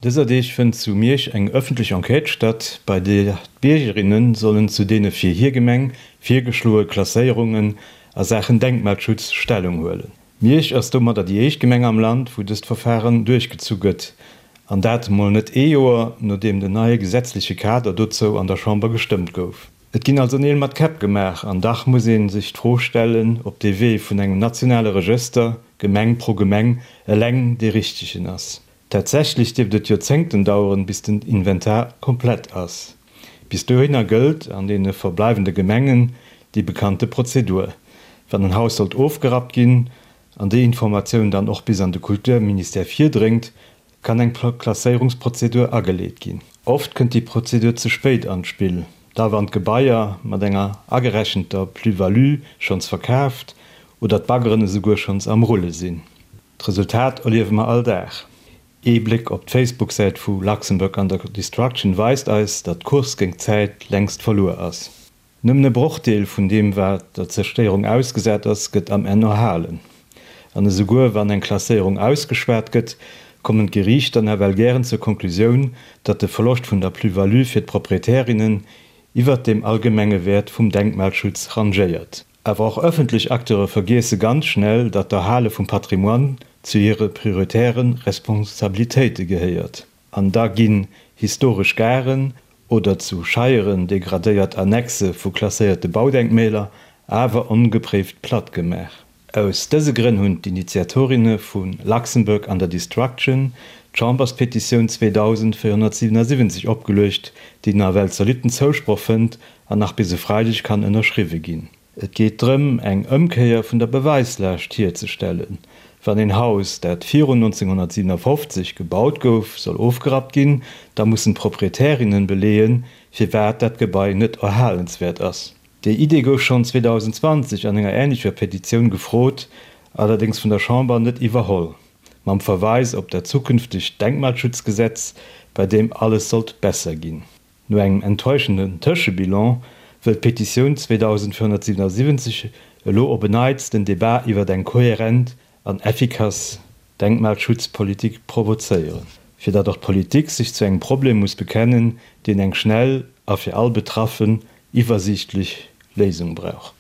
Dëser Deeg fënnt zu Miersch eng ëffentlech Enquête statt, bei där d'Biergerinne sollen zu deene fir hir Gemeng virgeschloe Klasséierungen a Saachen Denkmalschutz Stellung huelen. Miersch ass domadder déi éischt Gemeng am Land, wou dëst Verfaren duerchgezu gëtt, an dat mol net ee Joer, nodeem den neie gesetzleche Kader dozou an der Chamber gestëmmt gouf. Et ginn also Neel mat Käpp gemaach, an dach muss ee sech d'Fro stellen, ob dee Wee vun engem nationale Regëster, Gemeng pro Gemeng, eleng dee richtegen ass. Tatsächlech dierft et Joerzéngten daueren, bis den Inventar komplett ass. Bis dohinner gëllt an deene verbleiwende Gemengen déi bekannte Prozedur. Wann en Haus sollt ofgerappt ginn, an déi Informatioun dann och bis an de Kulturministère virdréngt, kann eng Klasséierungsprozedur ageleet ginn. Oft kënnt déi Prozedur ze spéit an d'Spill, da wann d'Gebaier mat enger agerechenter Plus-value schonns verkaaft oder d'Baggeren esouguer schonns am Rulle sinn. D'Resultat erliewe mer all Dag. Ee Bléck op d'Facebook-Säit vu Luxembourg Under Destruction weist eis, datt d'Course géint d'Zäit längst verluer ass. Nëmmen e Brochdeel vun deem wat der Zerstéierung ausgesat ass, gëtt am Enn erhalen. An esouguer wann eng Klasséierung ausgeschwat gëtt, kommen d'Geriichter nawell gären zur Konklusioun, datt de Verloscht vun der Plus-value fir d'Proprietärinnen iwwert dem allgemenge Wäert vum Denkmalschutz rangéiert. Awer och ëffentlech Acteure vergiesse ganz schnell, datt d'Erhale vum Patrimoine zu hire prioritäre Responsabilitéite gehéiert. An da ginn historesch Garen oder zu Scheieren degradéiert Annexe vu klasséierte Baudenkmäler awer ongepréift platt gemaach. Aus dëse Grënn hunn d'Initiatorinne vu Luxembourg Under Destruction d'Chamberspetitioun 2477 opgeluecht, déi nawell zolitten Zousproch fënnt an nach bis e Freideg kann ënnerschriwwe ginn. Et geet drëm, eng Ëmkéier vun der Beweislaascht hierzestellen. Wann een Haus, dat virun 1957 gebaut gouf, soll ofgerappt ginn, da mussen d'Proprietärinnen beleeën, firwat dat Gebai net erhalenswäert ass. Déi Idee gouf schonn 2020 an enger änlecher Petitioun gefrot, allerdéngs vun der Chamber net iwwerholl, mam Verweis op dat zukünftegt Denkmalschutzgesetz, bei deem alles sollt besser ginn. No engem enttäuschenden Tëschebilan wëll d'Petitioun 2477 elo op en Neits den Debat iwwert eng kohärent an effikass Denkmalschutzpolitik provozéieren, fir datt och d'Politik sech zu engem Problem muss bekennen, deen eng schnell a fir all Betraffen iwwersiichtlech Léisung brauch.